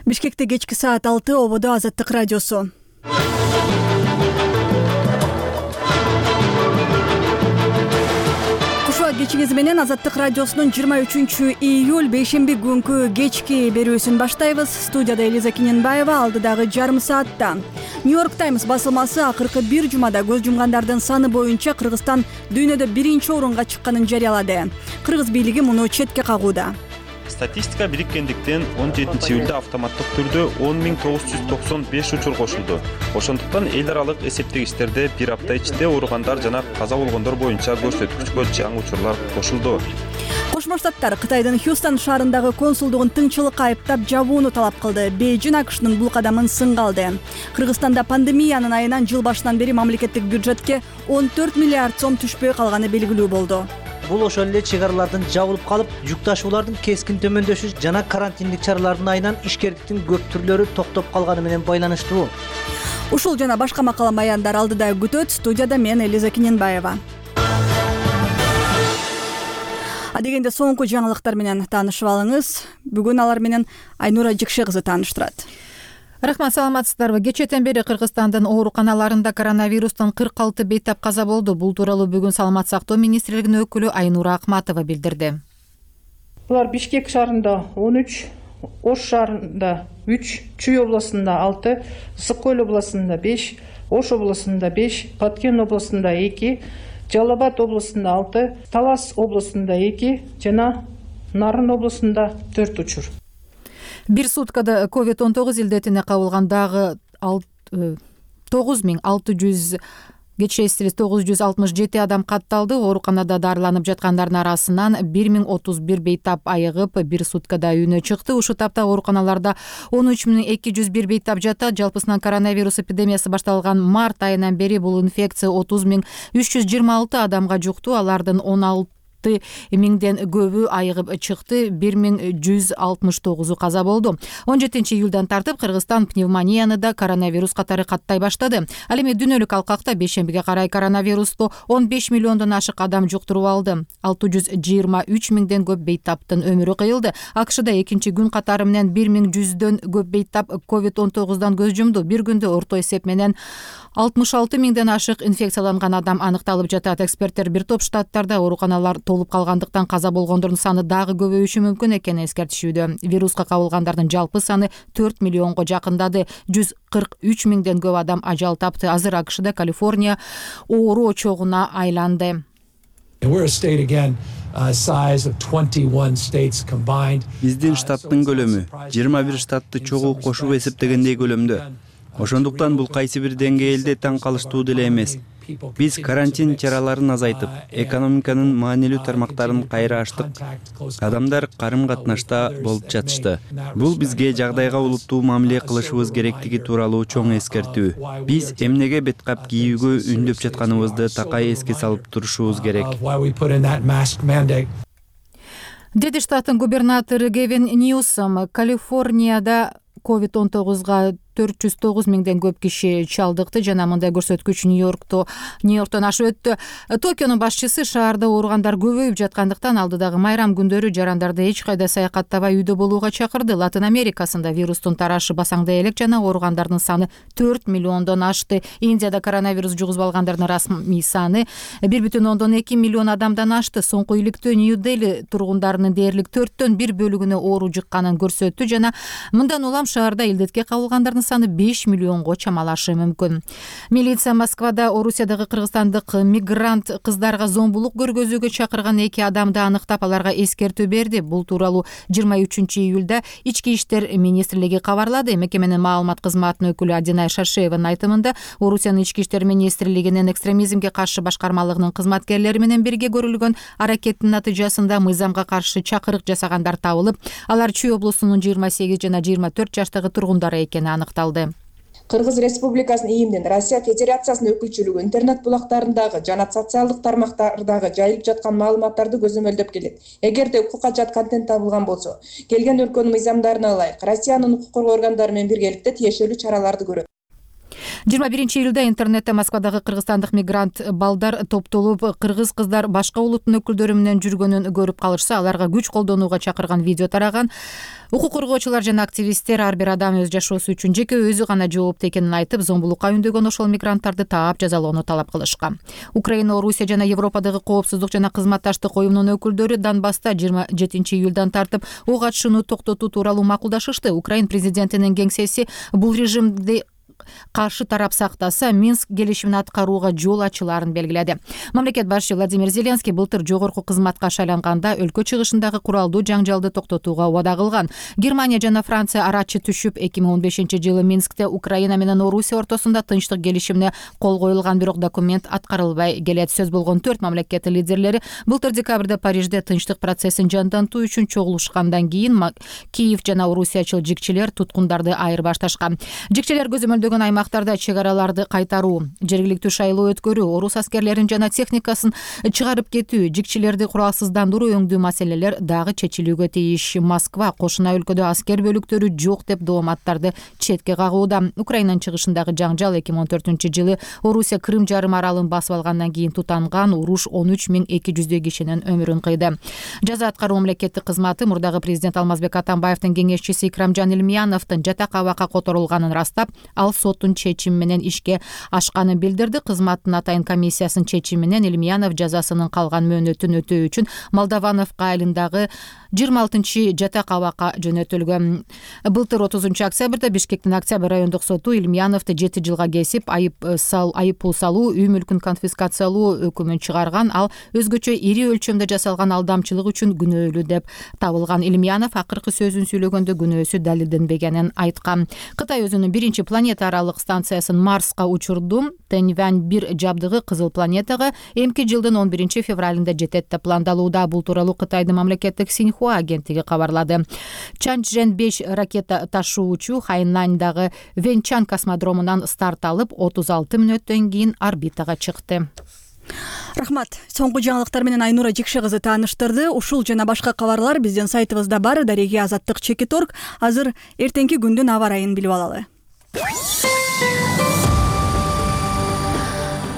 Бишкекте кечки саат 6 ободо Азаттык радиосу. Кушуа кечиңиз менен Азаттык радиосунун 23-июль бейшемби күнкү кечки берүүсүн баштайбыз. Студияда Элиза Кененбаева, алдыдагы жарым саатта. Нью-Йорк Таймс басылмасы акыркы бир жумада көз жумгандардын саны боюнча Кыргызстан дүйнөдө биринчи орунга чыкканын жарыялады. Кыргыз бийлиги муну четке кагууда. Статистика бириктендиктен 17-июлда автоматтык түрдө 10.995 учур кошулду. Ошондуктан эл аралык эсептегичтерде бир апта ичинде ооругандар жана каза болгондор боюнча көрсөткүчкө жаңы учурлар кошулду. Кошмо Штаттар Кытайдын Хьюстон шаарындагы консулдугун тынчылыкка айыптап жабууну талап кылды. Бейжин АКШнын бул кадамын сынга алды. Кыргызстанда пандемиянын айынан жыл башынан бери мамлекеттик бюджетке 14 миллиард сом түшпөй калганы белгилүү болду. Бул ошол эле чек аралардын жабылып калып, жүк ташуулардын кескин төмөндөшү жана карантиндик чаралардын айынан ишкерликтин көп түрлөрү токтоп калганы менен байланыштуу. Ушул жана башка макала маяндар алдыда күтөт. Студияда мен Элиза Кененбаева. Адегенде соңку жаңылыктар менен таанышып алыңыз. Бүгүн алар менен Айнура Жикше кызы тааныштырат. Рахмат, саламатсыздарбы? Кечээден бери Кыргызстандын ооруканаларында коронавирустан 46 бейтап каза болду. Бул тууралуу бүгүн Саламат сактоо министрлигинин өкүлү Айнура Акматова билдирди. Булар Бишкек шаарында 13, Ош шаарында 3, Чүй областында 6, Ысык Көл областында 5, Ош областында 5, Баткен областында 2, Жалал Абад областында 6, Талас областында 2 жана Нарын областында 4 учур. Бир суткада COVID-19 илдетине кабылган дагы 967 адам катталды. Ооруканада дарыланып жаткандардын арасынан 1031 бейтап айыгып, бир суткада үйүнө чыкты. Ушул тапта ооруканаларда 13201 бейтап жатат. Жалпысынан коронавирус эпидемиясы башталган март айынан бери бул инфекция 30326 адамга жукту. Алардын 16 миңден көбү айыгып чыкты, 1169 каза болду. 17-июлдан тартып Кыргызстан пневмонияны да коронавирус катары каттай баштады. Ал эми дүйнөлүк алкакта бейшембиге карай коронавирусту 15 миллиондон ашык адам жуктуруп алды. 623 миңден көп бейтаптын өмүрү кыйылды. АКШда экинчи күн катары менен 1100дөн көп бейтап COVID-19дан көз жумду. Бир күндө орто эсеп менен 66 миңден ашык инфекцияланган адам аныкталып жатат. Эксперттер бир топ штаттарда ооруканалар толуп калгандыктан каза болгондордун саны дагы көбөйүшү мүмкүн экенин эскертишүүдө. Вируска кабылгандардын жалпы саны 4 миллионго жакындады. 143 миңден көп адам ажал тапты. Азыр АКШда Калифорния оору очогуна айланды. Биздин штаттын көлөмү 21 штатты чогуу кошуп эсептегендей көлөмдө. Ошондуктан бул кайсы бир деңгээлде таң калыштуу деле эмес. Биз карантин чараларын азайтып, экономиканын маанилүү тармактарын кайра ачтык. Адамдар карым-катнашта болуп жатышты. Бул бизге жагдайга улуттуу мамиле кылышыбыз керектиги тууралуу чоң эскертүү. Биз эмнеге бет кап кийүүгө үндөп жатканыбызды такай эске салып турушубуз керек. Деди штаттын губернатору Гевин Ньюсом Калифорнияда COVID-19га 409 миңден көп киши чалдыкты жана мындай көрсөткүч Нью-Йорктон ашып өттү. Токионун башчысы шаарда ооругандар көбөйүп жаткандыктан алдыдагы майрам күндөрү жарандарды эч кайда саякаттабай үйдө болууга чакырды. Латын Америкасында вирустун тарашы басаңдай элек жана ооругандардын саны 4 миллиондон ашты. Индияда коронавирус жугузбалгандардын расмий саны 1,2 миллион адамдан ашты. Соңку иликтөө Нью-Дели тургундарынын дээрлик 4/1 бөлүгүнө оору жыкканын көрсөттү жана мындан улам шаарда илдетке кабылгандардын саны 5 миллионго чамалашы мүмкүн. Милиция Москвада Орусиядагы кыргызстандык мигрант кыздарга зомбулук көргөзүүгө чакырган 2 адамды аныктап, аларга эскертүү берди. Бул тууралуу 23-июлда Ички иштер министрлиги кабарлады. Мекеменин маалымат кызматынын өкүлү Адинай Шашееванын айтымында, Орусиянын Ички иштер министрлигинин экстремизмге каршы башкармалыгынын кызматкерлери менен бирге көрүлгөн аракеттин натыйжасында мыйзамга каршы чакырык жасагандар табылып, алар Чүй облусунун 28 жана 24 жаштагы тургундары экени аныкталды. Кыргыз Республикасынын ИИМдин Россия Федерациясынын өкүлчүлүгү интернет булактарындагы жана социалдык тармактардагы жайылып жаткан маалыматтарды көзөмөлдөп келет. Эгерде укукка жат контент табылган болсо, келген өлкөнүн мыйзамдарына ылайык Россиянын укук коргоо органдары менен биргеликте тиешелүү чараларды көрөт. 21 июлда интернетте Москвадагы кыргызстандык мигрант балдар топтолуп кыргыз кыздар башка улуттун өкүлдөрү менен жүргөнүн көрүп калышса, аларга күч колдонууга чакырган видео тараган. Укук коргоочулар жана активисттер ар бир адам өз жашоосу үчүн жеке өзү гана жоопту экенин айтып, зомбулукка үндөгөн ошол мигранттарды таап жазалоону талап кылышкан. Украина, Орусия жана Европадагы коопсуздук жана кызматташтык уюмунун өкүлдөрү Донбасста 27 июлдан тартып ок атышууну токтотуу тууралуу макулдашышты. Украин президентинин кеңсеси бул режимди каршы тарап сактаса, Минск келишимин аткарууга жол ачыларын белгиледи. Мамлекет башчы Владимир Зеленский былтыр жогорку кызматка шайланганда өлкө чыгышындагы куралдуу жаңжалды токтотууга убада кылган. Германия жана Франция арачы түшүп, 2015-жылы Минскте Украина менен Орусия ортосунда тынчтык келишимине кол коюлган, бирок документ аткарылбай келет. Сөз болгон 4 мамлекеттин лидерлери былтыр декабрда Парижде тынчтык процессин жандантуу үчүн чогулушкандан кийин Киев жана орусиячыл жикчилер туткундарды айырбашташкан. Жикчилер көзөмөлдөгөн аймактарда чек араларды кайтаруу, жергиликтүү шайлоо өткөрүү, орус аскерлерин жана техникасын чыгарып кетүү, жикчилерди куралсыздандыруу өңдүү маселелер дагы чечилүүгө тийиш. Москва кошуна өлкөдө аскер бөлүктөрү жок деп дооматтарды четке кагууда. Украинанын чыгышындагы жаңжал 2014-жылы Орусия Крым жарым аралын басып алгандан кийин тутанган уруш 13.200 кишинин өмүрүн кыйды. Жаза аткаруу мамлекеттик кызматы мурдагы президент Алмазбек Атамбаевдин кеңешчиси Икрамжан Илмияновдун жатак абакка которулганын растап, ал соттун чечими менен ишке ашканын билдирди. Кызматтын атайын комиссиясынын чечими менен Илмиянов жазасынын калган мөөнөтүн өтөө үчүн Молдовановка айылындагы 26 жатак абакка жөнөтүлгөн. Былтыр 30 октябрда Бишкектин Октябрь райондук соту Илмияновду 7 жылга кесип, айыппул салуу, үй мүлкүн конфискациялоо өкүмүн чыгарган. Ал өзгөчө ири өлчөмдө жасалган алдамчылык үчүн күнөөлүү деп табылган. Илмиянов акыркы сөзүн сүйлөгөндө күнөөсү далилденбегенин айткан. Кытай өзүнүн биринчи планета аралык станциясын Марска учурду. Тэньвэнь-1 жабдыгы Кызыл планетага эмки жылдын 11 февралында жетет деп пландалууда. Бул тууралуу Кытайдын мамлекеттик Синьхуа агенттиги кабарлады. Чанчжэн-5 ракета ташуучу Хайнандагы Вэньчан космодромунан старт алып, 36 мүнөттөн кийин орбитага чыкты. Рахмат. Соңку жаңылыктар менен Айнура Жекше кызы тааныштырды. Ушул жана башка кабарлар биздин сайтыбызда бар. Дареги Азаттык.org. Азыр эртеңки күндүн аба ырайын билип алалы.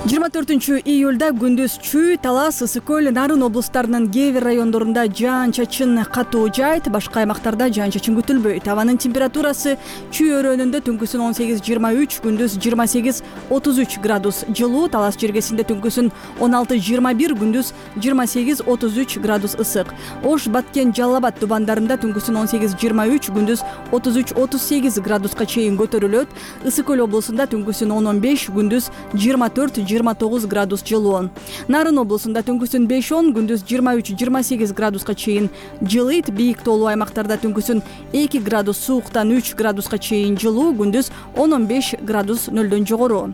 24 июлда күндүз Чүй, Талас, Ысык көл, Нарын облустарынын кээ бир райондорунда жаан-чачын катуу жаайт, башка аймактарда жаан-чачын күтүлбөйт. Абанын температурасы Чүй өрөөнүндө түнкүсүн 18-23, күндүз 28-33 градус жылуу, Талас жергесинде түнкүсүн 16-21, күндүз 28-33 градус ысык. Ош, Баткен, Жалал Абад тубандарында түнкүсүн 18-23, күндүз 33-38 градуска чейин көтөрүлөт. Ысык көл облусунда түнкүсүн 10-15, күндүз 24-29 градус жылуу. Нарын облусунда түнкүсүн 5-10, күндүз 23-28 градуска чейин жылыйт. Бийик тоолуу аймактарда түнкүсүн 2 градус сууктан 3 градуска чейин жылуу, күндүз 10-15 градус нөлдөн жогору.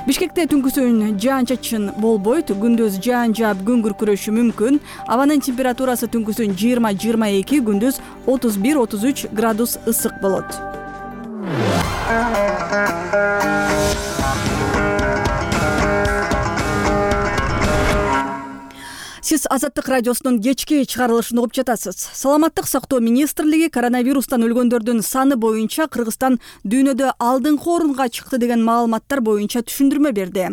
Бишкекте түнкүсүн жаан-чачын болбойт, күндүз жаан жаап күн күркүрөшү мүмкүн. Абанын температурасы түнкүсүн 20-22, күндүз 31-33 градус ысык болот. Сиз Азаттык радиосунун кечки чыгарылышын угуп жатасыз. Саламаттык сактоо министрлиги коронавирустан өлгөндөрдүн саны боюнча Кыргызстан дүйнөдө алдыңкы орунга чыкты деген маалыматтар боюнча түшүндүрмө берди.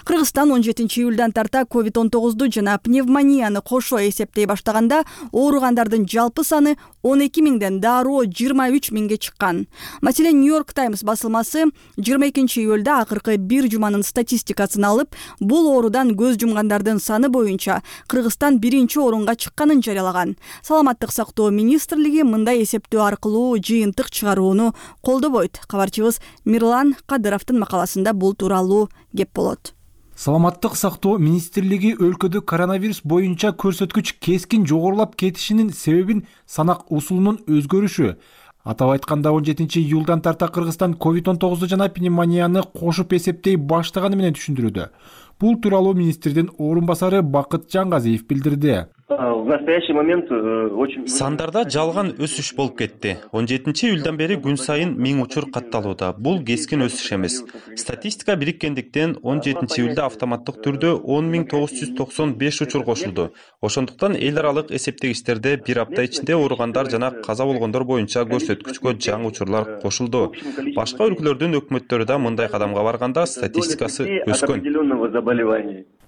Кыргызстан 17 июлдан тарта COVID-19 жана пневмонияны кошо эсептей баштаганда ооругандардын жалпы саны 12 миңден дароо 23 миңге чыккан. Маселен, Нью-Йорк Таймс басылмасы 22 июлда акыркы бир жуманын статистикасын алып, бул оорудан көз жумгандардын саны боюнча Кыргызстан биринчи орунга чыкканын жарыялаган. Саламаттык сактоо министрлиги мындай эсептөө аркылуу жыйынтык чыгарууну колдобойт. Кабарчыбыз Мирлан Кадыровдун макаласында бул тууралуу кеп болот. Саламаттык сактоо министрлиги өлкөдө коронавирус боюнча көрсөткүч кескин жогорулап кетишинин себебин санак усулунун өзгөрүшү. Атап айтканда 17 июлдан тарта Кыргызстан COVID-19 жана пневмонияны кошуп эсептей баштаганы менен түшүндүрүүдө. Бул тууралуу министрдин орун басары Бакыт Жангазиев билдирди. В настоящий момент очень... Сандарда жалган өсүш болуп кетти. 17-июлдан бери күн сайын 1000 учур катталууда. Бул кескин өсүш эмес. Статистика бириккендиктен 17-июлда автоматтык түрдө 10.995 учур кошулду. Ошондуктан эл аралык эсептегичтерде бир апта ичинде ооругандар жана каза болгондор боюнча көрсөткүчкө жаңы учурлар кошулду. Башка өлкөлөрдүн өкмөттөрү да мындай кадамга барганда статистикасы өскөн.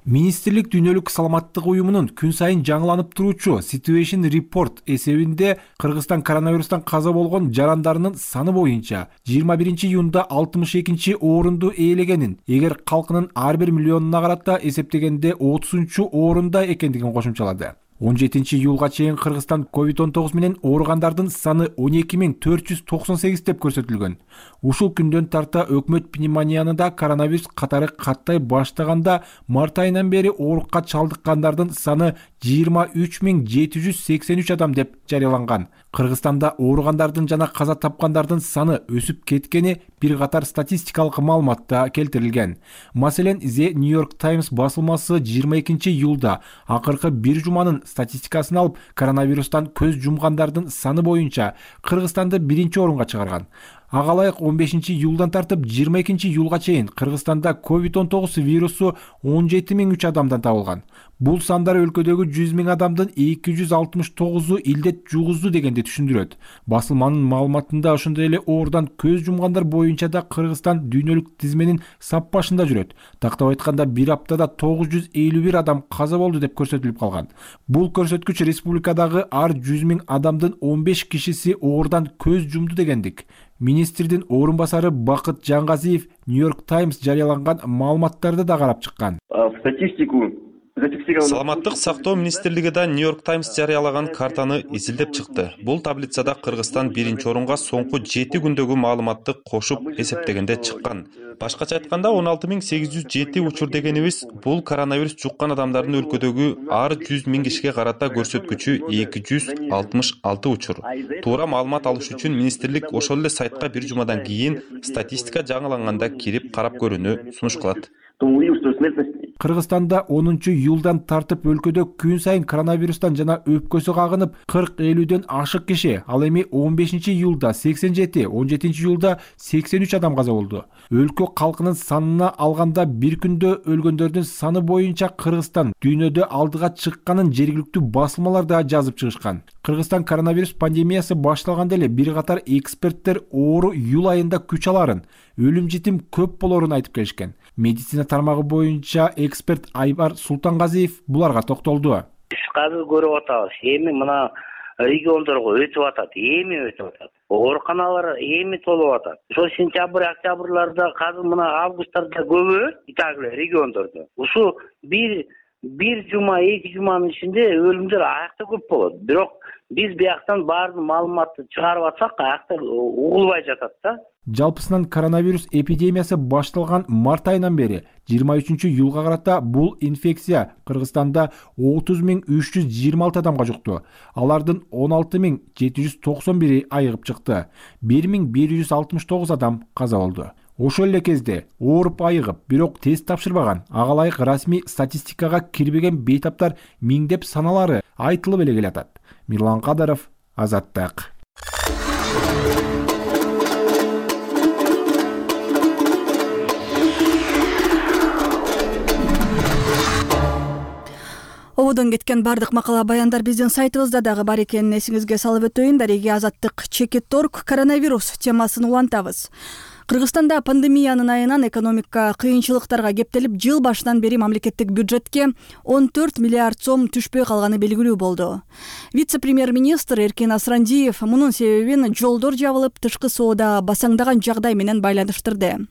Министрлик Дүйнөлүк саламаттык уюмунун күн сайын жаңыланып туруучу Situation Report эсебинде Кыргызстан коронавирустан каза болгон жарандарынын саны боюнча 21-июнда 62-орунду ээлегенин, эгер калкынын ар бир миллионуна карата эсептегенде 30-орунда экендигин кошумчалады. 17-июлга чейин Кыргызстан COVID-19 менен ооругандардын саны 12.498 деп көрсөтүлгөн. Ушул күндөн тарта өкмөт пневмонияны да коронавирус катары каттай баштаганда март айынан бери оорукка чалдыккандардын саны 23.783 адам деп жарыяланган. Кыргызстанда ооругандардын жана каза тапкандардын саны өсүп кеткени бир катар статистикалык маалыматта келтирилген. Маселен, The New York Times басылмасы 22-июлда акыркы бир жуманын статистикасын алып, коронавирустан көз жумгандардын саны боюнча Кыргызстанды 1-орунга чыгарган. Ага ылайык 15-июлдан тартып 22-июлга чейин Кыргызстанда COVID-19 вирусу 17.003 адамдан табылган. Бул сандар өлкөдөгү 100.000 адамдын 269-у илдет жугузду дегенди түшүндүрөт. Басылманын маалыматында ошондой эле оорудан көз жумгандар боюнча да Кыргызстан дүйнөлүк тизменин сап башында жүрөт. Тактап айтканда, бир аптада 951 адам каза болду деп көрсөтүлүп калган. Бул көрсөткүч республикадагы ар 100.000 адамдын 15 кишиси оорудан көз жумду дегендик. Министрдин орун басары Бакыт Жангазиев New York Times жарыяланган маалыматтарды да карап чыккан. Саламаттык сактоо министрлиги да New York Times жарыялаган картаны изилдеп чыкты. Бул таблицада Кыргызстан 1-орунга соңку 7 күндөгү маалыматты кошуп эсептегенде чыккан. Башкача айтканда 16.807 учур дегенибиз бул коронавирус жуккан адамдардын өлкөдөгү ар 100.000 кишиге карата көрсөткүчү 266 учур. Туура маалымат алыш үчүн министрлик ошол эле сайтка бир жумадан кийин статистика жаңыланганда кирип карап көрүүнү сунуш кылат. Кыргызстанда 10-июлдан тартып өлкөдө күн сайын коронавирустан жана өпкөсү кагынып 40-50дөн ашык киши, ал эми 15-июлда 87, 17-июлда 83 адам каза болду. Өлкө калкынын санына алганда бир күндө өлгөндөрдүн саны боюнча Кыргызстан дүйнөдө алдыга чыкканын жергиликтүү басылмалар да жазып чыгышкан. Кыргызстан коронавирус пандемиясы башталганда эле бир катар эксперттер оору июль айында күч аларын, өлүм житим көп болорун айтып келишкен. Медицина тармагы боюнча эксперт Айбар Султангазиев буларга токтолду. Казыр көрүп атабыз, эми мына региондорго өтүп атат, эми өтүп атат. Ооруканалар эми толуп атат. Ошо сентябрь, октябрларда, казыр мына августтарда көбү итаглы региондордо. Ушу бир жума, 2 жуманын ичинде өлүмдөр аякта көп болот. Бирок биз бияктан баарын маалыматты чыгарып атсак, аякта угулбай жатат да. Жалпысынан коронавирус эпидемиясы башталган март айынан бери 23-июлга карата бул инфекция Кыргызстанда 30.326 адамга жукту. Алардын 16.791 айыгып чыкты. 1.169 адам каза болду. Ошол эле кезде ооруп айыгып, бирок тест тапшырбаган, ага ылайык расмий статистикага кирбеген бейтаптар миңдеп саналары айтылып эле келатат. Мирлан Кадаров, Азаттык. Ободон кеткен бардык макала баяндар биздин сайтыбызда дагы бар экенин эсиңизге салып өтөйүн. Дареги Азаттык Чекит.org коронавирус темасын улантабыз. Кыргызстанда пандемиянын айынан экономика кыйынчылыктарга кептелип, жыл башынан бери мамлекеттик бюджетке 14 миллиард сом түшпөй калганы белгилүү болду. Вице-премьер-министр Эркин Асрандиев мунун себебин жолдор жабылып, тышкы соода басаңдаган жагдай менен байланыштырды.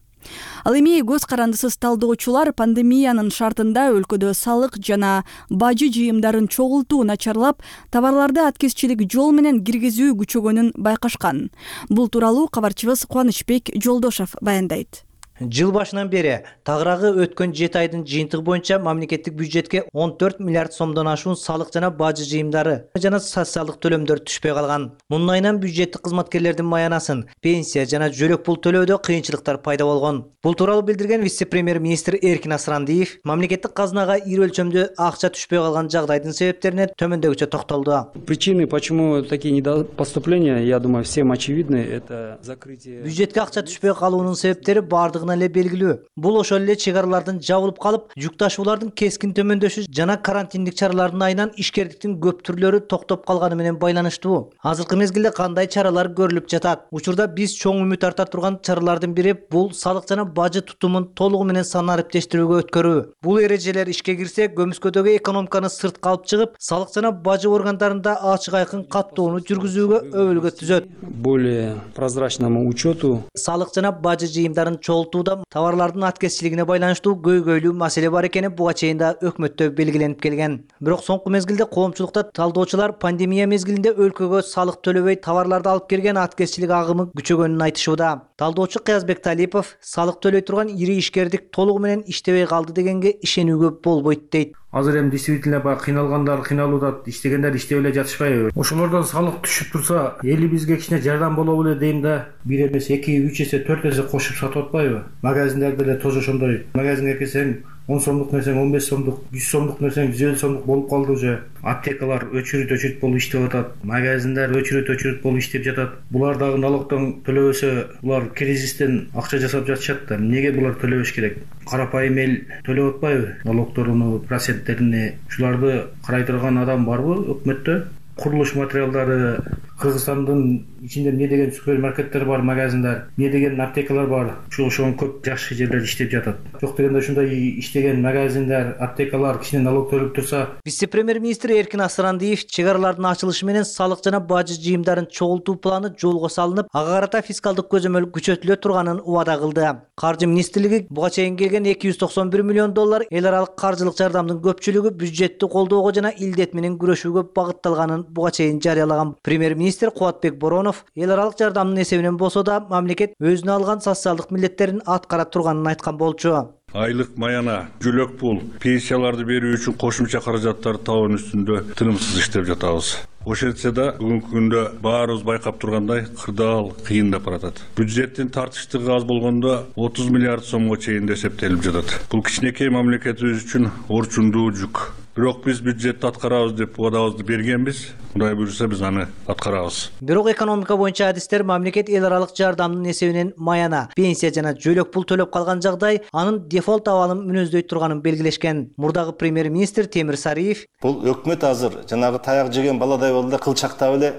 Ал эми көз карандысыз талдоочулар пандемиянын шартында өлкөдө салык жана бажы жыйымдарын чогултуу начарлап, товарларды аткезчилик жол менен киргизүү күчөгөнүн байкашкан. Бул тууралуу кабарчыбыз Кубанычбек Жолдошов баяндайт. Жыл башынан бери тагыраагы өткөн 7 айдын жыйынтыгы боюнча мамлекеттик бюджетке 14 миллиард сомдон ашуун салык жана бажы жыйымдары жана социалдык төлөмдөр түшпөй калган. Мунун айынан бюджеттик кызматкерлердин маянасын, пенсия жана жөлөк пул төлөөдө кыйынчылыктар пайда болгон. Бул тууралуу билдирген вице-премьер-министр Эркин Асрандиев мамлекеттик казынага ири өлчөмдө акча түшпөй калган жагдайдын себептерине төмөндөгүчө токтолду. Причины, почему такие недопоступления, я думаю, всем очевидны. Это закрытие. Бюджетке акча түшпөй калуунун себептери бардыгына эле белгилүү. Бул ошол эле чек аралардын жабылып калып, жүк ташуулардын кескин төмөндөшү жана карантиндик чаралардын айынан ишкердиктин көп түрлөрү токтоп калганы менен байланыштуу. Азыркы мезгилде кандай чаралар көрүлүп жатат? Учурда биз чоң үмүт арта турган чаралардын бири бул салык жана бажы тутумун толугу менен санариптештирүүгө өткөрүү. Бул эрежелер ишке кирсе, көмүскөдөгү экономиканы сыртка алып чыгып, салык жана бажы органдарында ачык айкын каттоону жүргүзүүгө өбөлгө түзөт. Более прозрачному учету. Салык жана бажы жыйымдарын чогултууда товарлардын аткезчилигине байланыштуу көйгөйлүү маселе бар экени буга чейин да өкмөттө белгиленип келген. Бирок соңку мезгилде коомчулукта талдоочулар пандемия мезгилинде өлкөгө салык төлөбөй товарларды алып келген аткезчилик агымы күчөгөнүн айтышууда. Талдоочу Кыязбек Талипов салык төлөй турган ири ишкердик толугу менен иштебей калды дегенге ишенүүгө болбойт дейт. Азыр эми действительно баягы кыйналгандар кыйналууда, иштегендер иштеп эле жатышпайбы? Ошолордон салык түшүп турса, элибизге кичине жардам болобу эле дейм да. Бир эмес 2-3 эсе 4 эсе кошуп сатып атпайбы? Магазиндерде эле тоже ошондой. Магазинге кирсең 10 сомдук нерсең 15 сомдук, 100 сомдук нерсең 150 сомдук болуп калды уже. Аптекалар өчүрүт болуп иштеп атат. Магазиндер өчүрүт болуп иштеп жатат. Булар дагы налогдон төлөбөсө, булар кризистен акча жасап жатышат да. Эмнеге булар төлөбөш керек? Карапайым эл төлөп атпайбы? Налогдоруну, проценттерини, ушуларды карай турган адам барбы өкмөттө? Курулуш материалдары, Кыргызстандын ичинде эмне деген супермаркеттер бар, магазиндар, эмне деген аптекалар бар. Ошон көп жакшы жерлер иштеп жатат. Жок дегенде ушундай иштеген магазиндер, аптекалар кичине налог төлөп турса. Вице-премьер-министр Эркин Асрандиев чек аралардын ачылышы менен салык жана бажы жыйымдарын чогултуу планы жолго салынып, ага карата фискалдык көзөмөл күчөтүлө турганын убада кылды. Каржы министрлиги буга чейин келген $291 миллион эл аралык каржылык жардамдын көпчүлүгү бюджетти колдоого жана илдет менен күрөшүүгө багытталганын буга чейин жарыялаган. Премьер-министр Кубатбек Боронов эл аралык жардамдын эсебинен болсо да мамлекет өзүнө алган социалдык милдеттерин аткара турганын айткан болчу. Айлык маяна, жөлөк пул, пенсияларды берүү үчүн кошумча каражаттарды табуу үстүндө тынымсыз иштеп жатабыз. Ошентсе да бүгүнкү күндө баарыбыз байкап тургандай кырдаал кыйындап баратат. Бюджеттин тартыштыгы аз болгондо 30 миллиард сомго чейин эсептелип жатат. Бул кичинекей мамлекетибиз үчүн орчундуу жүк. Бирок биз бюджетти аткарабыз деп убадабызды бергенбиз. Кудай буйруса биз аны аткарабыз. Бирок экономика боюнча адистер мамлекет эл аралык жардамдын эсебинен маяна, пенсия жана жөлөк пул төлөп калган жагдай анын дефолт абалын мүнөздөй турганын белгилешкен. Мурдагы премьер-министр Темир Сариев бул өкмөт азыр жанагы таяк жеген баладай болду, кылчактап эле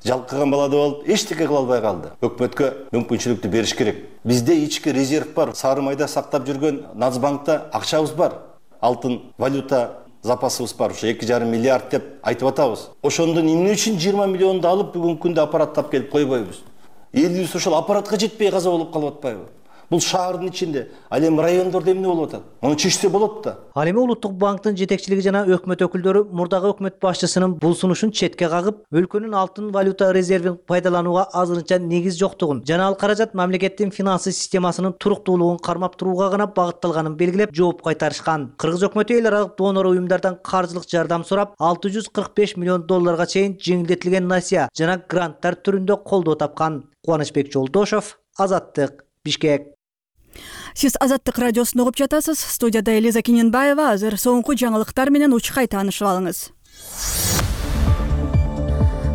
жалкыган баладай болуп эчтеке кыла албай калды. Өкмөткө мүмкүнчүлүктү бериш керек. Бизде ички резерв бар. Сары майда сактап жүргөн Нацбанкта акчабыз бар. Алтын валюта запасыбыз бар. Ошо 2,5 миллиард деп айтып атабыз. Ошондон эмне үчүн 20 миллионду алып бүгүнкү күндө аппараттап келип койбойбуз? Элибиз ошол аппаратка жетпей каза болуп калып атпайбы? Бул шаардын ичинде, ал эми райондордо эмне болуп атат? Муну чечсе болот да. Ал эми Улуттук банктын жетекчилиги жана өкмөт өкүлдөрү мурдагы өкмөт башчысынын бул сунушун четке кагып, өлкөнүн алтын валюта резервин пайдаланууга азырынча негиз жоктугун жана ал каражат мамлекеттин финансы системасынын туруктуулугун кармап турууга гана багытталганын белгилеп, жооп кайтарышкан. Кыргыз өкмөтү эл аралык донор уюмдардан каржылык жардам сурап, $645 миллион чейин жеңилдетилген насия жана гранттар түрүндө колдоо тапкан. Кубанычбек Жолдошов, Азаттык, Бишкек. Сиз Азаттык радиосун угуп жатасыз. Студияда Элиза Киненбаева. Азыр соңку жаңылыктар менен учкай таанышып алыңыз.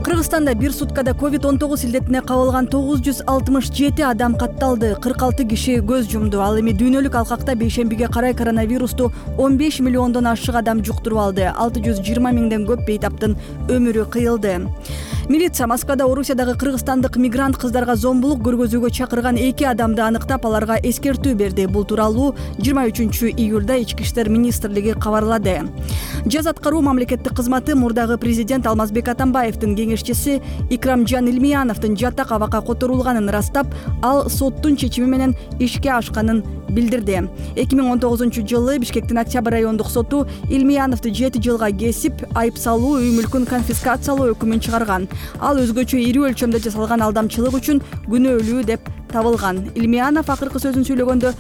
Кыргызстанда бир суткада COVID-19 илдетине кабылган 967 адам катталды. 46 киши көз жумду. Ал эми дүйнөлүк алкакта бейшембиге карай коронавирусту 15 миллиондон ашык адам жуктуруп алды. 620 миңден көп бейтаптын өмүрү кыйылды. Милиция Москвада Орусиядагы кыргызстандык мигрант кыздарга зомбулук көргөзүүгө чакырган 2 адамды аныктап, аларга эскертүү берди. Бул тууралуу 23 июлда Ички иштер министрлиги кабарлады. Жаз аткаруу мамлекеттик кызматы мурдагы президент Алмазбек Атамбаевдин кеңешчиси Икрамжан Илмияновдун жатак абакка которулганын ырастап, ал соттун чечими менен ишке ашканын билдирди. 2019-жылы Бишкектин Октябрь райондук соту Илмияновду 7 жылга кесип, айып салуу, үй мүлкүн конфискациялоо өкүмүн чыгарган. Ал өзгөчө ири өлчөмдө жасалган алдамчылык үчүн күнөөлүү деп табылган. Илмиянов акыркы сөзүн сүйлөгөндө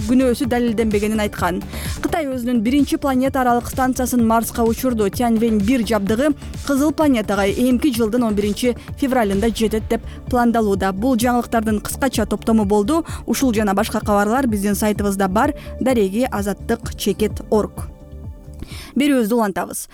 күнөөсү далилденбегенин айткан. Кытай өзүнүн биринчи планета аралык станциясын Марска учурду. Тяньвэнь-1 жабдыгы Кызыл планетага эмки жылдын 11 февралында жетет деп пландалууда. Бул жаңылыктардын кыскача топтому болду. Ушул жана башка кабарлар биздин сайтыбызда бар. Дареги azattik.org. Берүүбүздү улантабыз.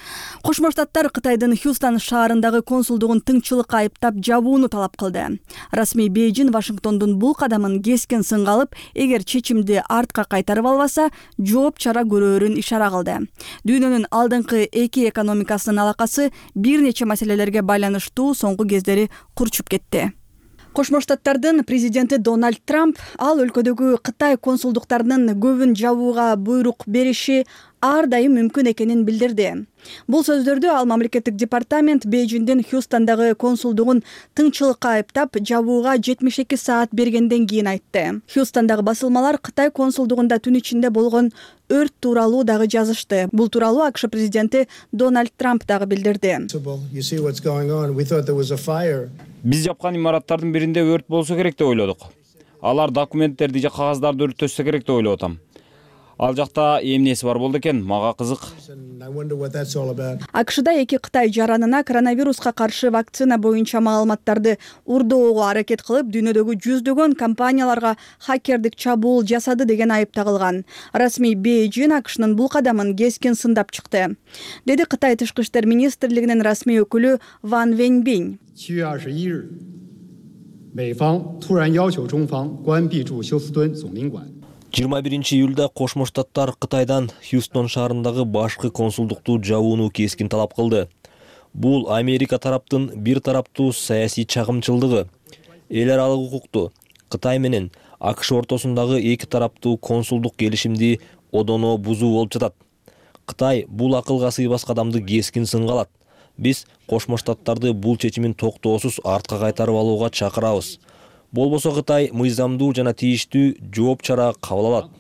Кошмо Штаттар Кытайдын Хьюстон шаарындагы консулдугун тыңчылыкка айыптап жабууну талап кылды. Расмий Бейжин Вашингтондун бул кадамын кескин сынга алып, эгер чечимди артка кайтарып албаса, жооп чара көрөөрүн ишара кылды. Дүйнөнүн алдыңкы эки экономикасынын алакасы бир нече маселелерге байланыштуу соңку кездери курчуп кетти. Кошмо Штаттардын президенти Дональд Трамп ал өлкөдөгү Кытай консулдуктарынын көбүн жабууга буйрук бериши ар дайым мүмкүн экенин билдирди. Бул сөздөрдү ал мамлекеттик департамент Бейжиндин Хьюстондагы консулдугун тыңчылыкка айыптап жабууга 72 саат бергенден кийин айтты. Хьюстондагы басылмалар Кытай консулдугунда түн ичинде болгон өрт тууралуу дагы жазышты. Бул тууралуу АКШ президенти Дональд Трамп дагы билдирди. Биз жапкан имараттардын биринде өрт болсо керек деп ойлодук. Алар документтерди же кагаздарды өрттөшсө керек деп ойлоп атам. Ал жакта эмнеси бар болду экен, мага кызык. АКШда эки Кытай жаранына коронавируска каршы вакцина боюнча маалыматтарды урдоого аракет кылып, дүйнөдөгү жүздөгөн компанияларга хакердик чабуул жасады деген айып тагылган. Расмий Бейжин АКШнын бул кадамын кескин сындап чыкты, деди Кытай тышкы иштер министрлигинин расмий өкүлү Ван Вэньбинь. 7月21日，美方突然要求中方关闭驻休斯敦总领馆。 21-июлда Кошмо Штаттар Кытайдан Хьюстон шаарындагы башкы консулдукту жабууну кескин талап кылды. Бул Америка тараптын бир тараптуу саясий чагымчылдыгы. Эл аралык укукту Кытай менен АКШ ортосундагы эки тараптуу консулдук келишимди одоно бузуу болуп жатат. Кытай бул акылга сыйбас кадамды кескин сынга алат. Биз Кошмо Штаттарды бул чечимин токтоосуз артка кайтарып алууга чакырабыз. Болбосо Кытай мыйзамдуу жана тийиштүү жооп чара кабыл алат.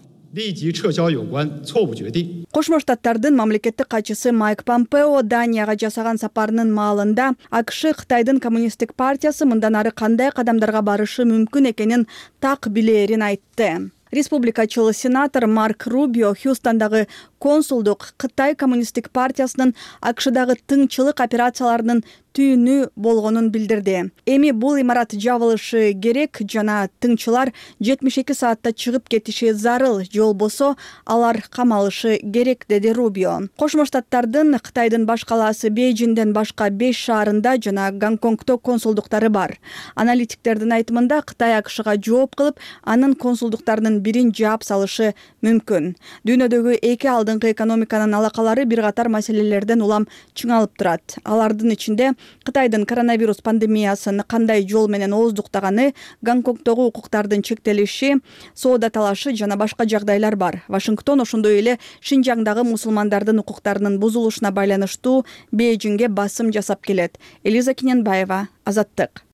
Кошмо Штаттардын мамлекеттик катчысы Майк Помпео Данияга жасаган сапарынын маалында АКШ Кытайдын коммунисттик партиясы мындан ары кандай кадамдарга барышы мүмкүн экенин так билерин айтты. Республикачыл сенатор Марк Рубио Хьюстондагы консулдук Кытай коммунисттик партиясынын АКШдагы тыңчылык операцияларынын түйүнү болгонун билдирди. Эми бул имарат жабылышы керек жана тыңчылар 72 саатта чыгып кетиши зарыл, же болбосо алар камалышы керек, деди Рубио. Кошмо Штаттардын Кытайдын баш калаасы Бейжинден башка 5 шаарында жана Гонконгдо консулдуктары бар. Аналитиктердин айтымында Кытай АКШга жооп кылып, анын консулдуктарынын бирин жаап салышы мүмкүн. Дүйнөдөгү эки алдыңкы экономиканын алакалары бир катар маселелерден улам чыңалып турат. Алардын ичинде Кытайдын коронавирус пандемиясын кандай жол менен ооздуктаганы, Гонконгдогу укуктардын чектелиши, соода талашы жана башка жагдайлар бар. Вашингтон ошондой эле Шинжаңдагы мусулмандардын укуктарынын бузулушуна байланыштуу Бейжиңге басым жасап келет. Элиза Киненбаева, Азаттык.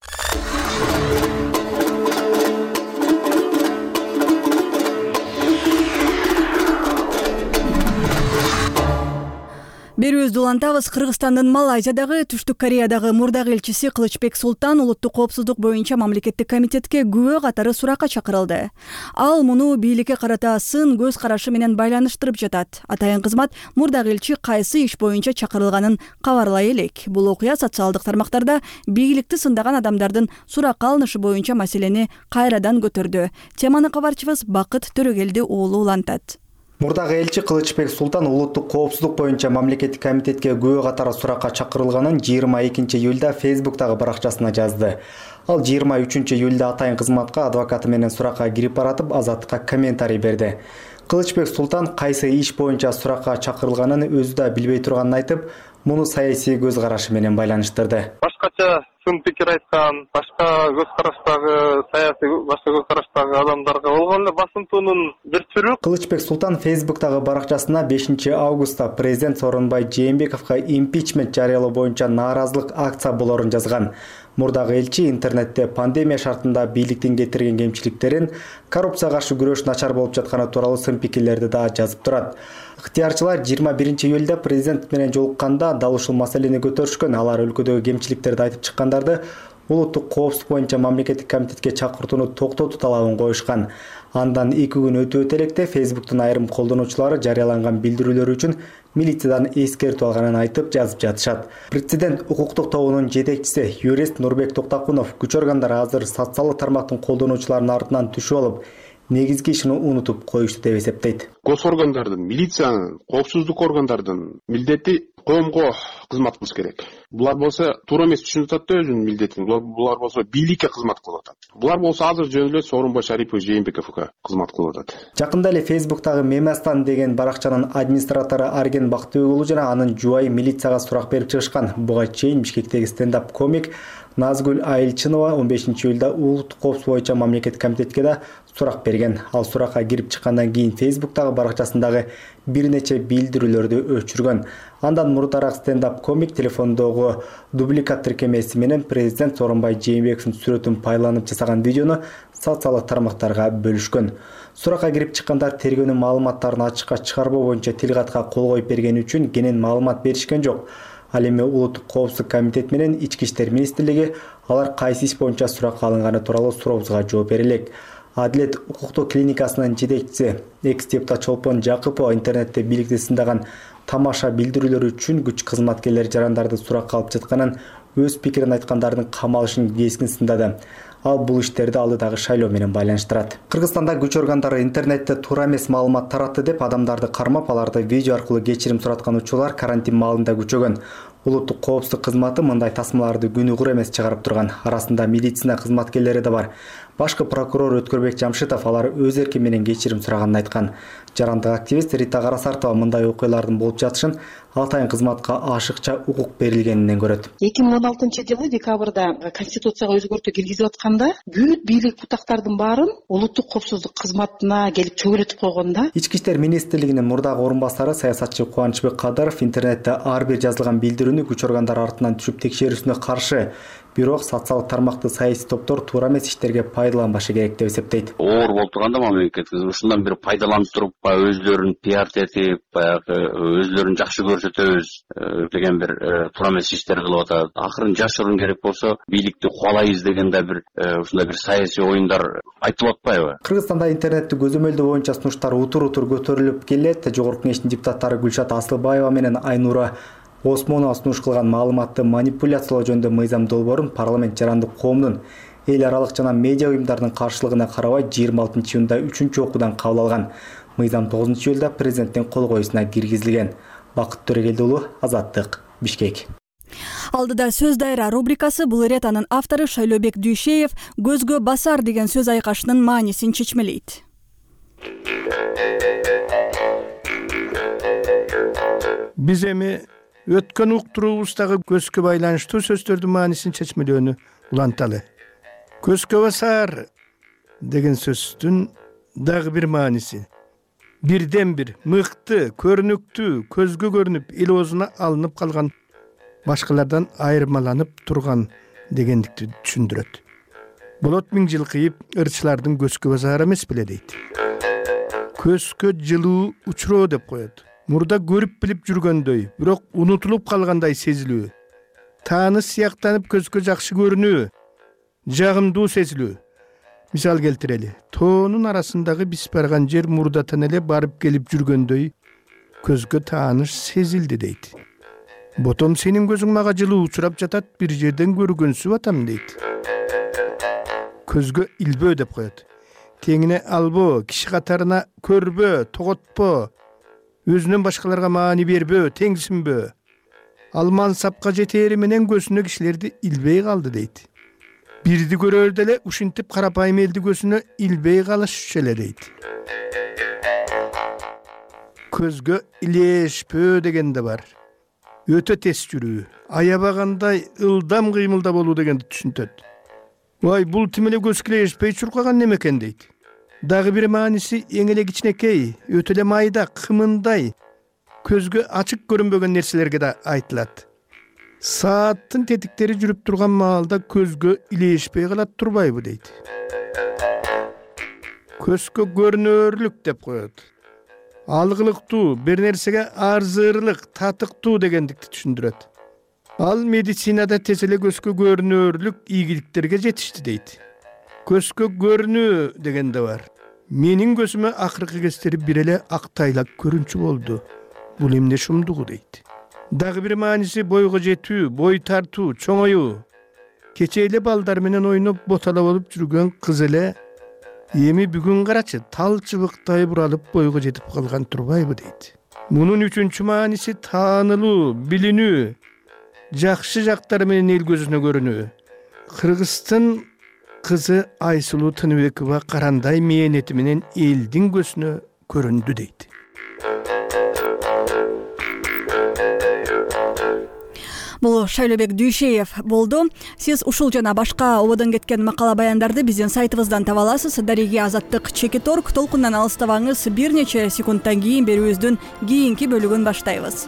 Берүүбүздү улантабыз. Кыргызстандын Малайзиядагы, Түштүк Кореядагы мурдагы элчиси Кылычбек Султан улуттук коопсуздук боюнча мамлекеттик комитетке күбө катары суракка чакырылды. Ал муну бийликке карата сын көз карашы менен байланыштырып жатат. Атайын кызмат мурдагы элчи кайсы иш боюнча чакырылганын кабарлай элек. Бул окуя социалдык тармактарда бийликти сындаган адамдардын суракка алынышы боюнча маселени кайрадан көтөрдү. Теманы кабарчыбыз Бакыт Төрөгелди уулу улантат. Мурдагы элчи Кылычбек Султан улуттук коопсуздук боюнча мамлекеттик комитетке күбө катары суракка чакырылганын 22-июлда Facebook'тагы баракчасына жазды. Ал 23-июлда атайын кызматка адвокаты менен суракка кирип баратып, Азаттыкка комментарий берди. Кылычбек Султан кайсы иш боюнча суракка чакырылганын өзү да билбей турганын айтып, муну саясий көз карашы менен байланыштырды. Башкача сын пикир айткан, башка көз караштагы саясий башка көз караштагы адамдарга болгон эле басынтуунун бир түрү. Кылычбек Султан Facebook'тагы баракчасына 5 августта президент Сооронбай Жээнбековго импичмент жарыялоо боюнча нааразылык акция болорун жазган. Мурдагы элчи интернетте пандемия шартында бийликтин кетирген кемчиликтерин, коррупцияга каршы күрөш начар болуп жатканы тууралуу сын пикирлерди да жазып турат. Ыктыярчылар 21-июлда президент менен жолукканда дал ушул маселени көтөрүшкөн. Алар өлкөдөгү кемчиликтерди айтып чыккандарды улуттук коопсуздук боюнча мамлекеттик комитетке чакыртууну токтотуу талабын коюшкан. Андан 2 күн өтө электе Facebook'тун айрым колдонуучулары жарыяланган билдирүүлөр үчүн милициядан эскертүү алганын айтып жазып жатышат. Президент укуктук тобунун жетекчиси юрист Нурбек Токтакунов күч органдары азыр социалдык тармактын колдонуучуларынын артынан түшүп алып, негизги ишин унутуп коюшту деп эсептейт. Гос органдардын, милициянын, коопсуздук органдардын милдети коомго кызмат кылыш керек. Булар болсо туура эмес түшүнүп атат да өзүнүн милдетин. Булар болсо бийликке кызмат кылып атат. Булар болсо азыр жөн эле Сооронбай Шарипов Жээнбековго кызмат кылып атат. Жакында эле Facebook'тагы Мемастан деген баракчанын администратору Арген Бактыбек уулу жана анын жубайы милицияга сурак берип чыгышкан. Буга чейин Бишкектеги стендап комик Назгүл Айылчынова 15-июлда улуттук коопсуздук боюнча мамлекеттик комитетке да сурак берген. Ал суракка кирип чыккандан кийин Facebook'тагы баракчасындагы бир нече билдирүүлөрдү өчүргөн. Андан мурдараак стендап комик телефондогу дубликат тиркемеси менен президент Сооронбай Жээнбековдун сүрөтүн пайдаланып жасаган видеону социалдык тармактарга бөлүшкөн. Суракка кирип чыккандар тергөөнүн маалыматтарын ачыкка чыгарбоо боюнча тил катка кол коюп бергени үчүн кенен маалымат беришкен жок. Ал эми улуттук коопсуздук комитети менен Ички иштер министрлиги алар кайсы иш боюнча суракка алынганы тууралуу сурообузга жооп бере элек. Адилет укуктук клиникасынын жетекчиси экс-депутат Чолпон Жакыпова интернетте бийликти сындаган тамаша билдирүүлөр үчүн күч кызматкерлери жарандарды суракка алып жатканын, өз пикирин айткандардын камалышын кескин сындады. Ал бул иштерди алдыдагы шайлоо менен байланыштырат. Кыргызстанда күч органдары интернетте туура эмес маалымат таратты деп адамдарды кармап, аларды видео аркылуу кечирим сураткан учурлар карантин маалында күчөгөн. Улуттук коопсуздук кызматы мындай тасмаларды күнүгөр эмес чыгарып турган. Арасында медицина кызматкерлери да бар. Башкы прокурор Өткөрбек Жамшитов алар өз эрки менен кечирим сураганын айткан. Жарандык активист Рита Карасартова мындай окуялардын болуп жатышын атайын кызматка ашыкча укук берилгенинен көрөт. 2016-жылы декабрда конституцияга өзгөртүү киргизип атканда бүт бийлик бутактардын баарын улуттук коопсуздук кызматына келип чөгөлөтүп койгон да. Ички иштер министрлигинин мурдагы орун басары саясатчы Кубанычбек Кадыров интернетте ар бир жазылган билдирүүнү күч органдары артынан түшүп текшерүүсүнө каршы. Бирок социалдык тармакты саясий топтор туура эмес иштерге пайдаланбашы керек деп эсептейт. Оор болуп турганда мамлекет ушундан бир пайдаланып туруп, өзлөрүн пиар этип, баягы өзлөрүн жакшы көрсөтөбүз деген бир туура эмес иштер кылып атат. Акырын жашыруун керек болсо, бийликти кубалайбыз деген да бир ушундай бир саясий оюндар айтылып атпайбы? Кыргызстанда интернетти көзөмөлдөө боюнча сунуштар утур-утур көтөрүлүп келет. Жогорку кеңештин депутаттары Гүлшат Асылбаева менен Айнура Осмонова сунуш кылган маалыматты манипуляциялоо жөнүндө мыйзам долбоорун парламент жарандык коомдун эл аралык жана медиа уюмдардын каршылыгына карабай 26-июнда 3-чү окуудан кабыл алган. Мыйзам 9-июлда президенттин кол коюусуна киргизилген. Бакыт Төрөгелди уулу, Азаттык, Бишкек. Алдыда сөз дайра рубрикасы. Бул ирет анын автору Шайлообек Дүйшеев көзгө басар деген сөз айкашынын маанисин чечмелейт. Биз эми өткөн уктуруубуздагы көзгө байланыштуу сөздөрдүн маанисин чечмелөөнү уланталы. Көзгө басар деген сөздүн дагы бир мааниси бирден бир мыкты, көрүнүктүү, көзгө көрүнүп, эл оозуна алынып калган, башкалардан айырмаланып турган дегендикти түшүндүрөт. Болот миң жыл кыйып, ырчылардын көзгө басары эмес беле дейт. Көзгө жылуу учуроо деп коет. Мурда көрүп билип жүргөндөй, бирок унутулуп калгандай сезилүү. Тааныш сыяктанып көзгө жакшы көрүнүү, жагымдуу сезилүү. Мисал келтирели. Тоонун арасындагы биз барган жер мурдатан эле барып келип жүргөндөй көзгө тааныш сезилди дейт. Ботом сенин көзүң мага жылуу учурап жатат, бир жерден көргөнсүп атам дейт. Көзгө илбөө деп коет. Теңине албоо, киши катарына көрбөө, тоготпоо, өзүнөн башкаларга маани бербөө, теңсинбөө. Ал мансапка жетери менен көзүнө кишилерди илбей калды дейт. Бирди көрөрдө эле ушинтип карапайым элди көзүнө илбей калышчу эле дейт. Көзгө илешпөө деген да бар. Өтө тез жүрүү, аябагандай ылдам кыймылда болуу дегенди түшүнтөт. Вай, бул тим эле көзгө илешпей чуркаган неме экен дейт. Дагы бир мааниси эң эле кичинекей, өтө эле майда, кымындай, көзгө ачык көрүнбөгөн нерселерге да айтылат. Сааттын тетиктери жүрүп турган маалда көзгө илешпей калат турбайбы дейт. Көзгө көрүнөрлүк деп коет. Алгылыктуу, бир нерсеге арзырлык, татыктуу дегендикти түшүндүрөт. Ал медицинада тез эле көзгө көрүнөрлүк ийгиликтерге жетишти дейт. Көзгө көрүнүү деген да бар. Менин көзүмө акыркы кездери бир эле ак тайлак көрүнчү болду. Бул эмне шумдугу дейт. Дагы бир мааниси бойго жетүү, бой тартуу, чоңоюу. Кече эле балдар менен ойноп ботала болуп жүргөн кыз эле эми бүгүн карачы тал чыбыктай буралып бойго жетип калган турбайбы дейт. Мунун үчүнчү мааниси таанылуу, билинүү, жакшы жактары менен эл көзүнө көрүнүү. Кыргыздын кызы Айсулуу Тыныбекова карандай мээнети менен элдин көзүнө көрүндү дейт. Бул Шайлебек Дүйшеев болду. Сиз ушул жана башка ободон кеткен макала баяндарды биздин сайтыбыздан таба аласыз. Дареги Азаттык /Чекиторг. Толкундан алыстабаңыз. Бир нече секундтан кийин берүүбүздүн кийинки бөлүгүн баштайбыз.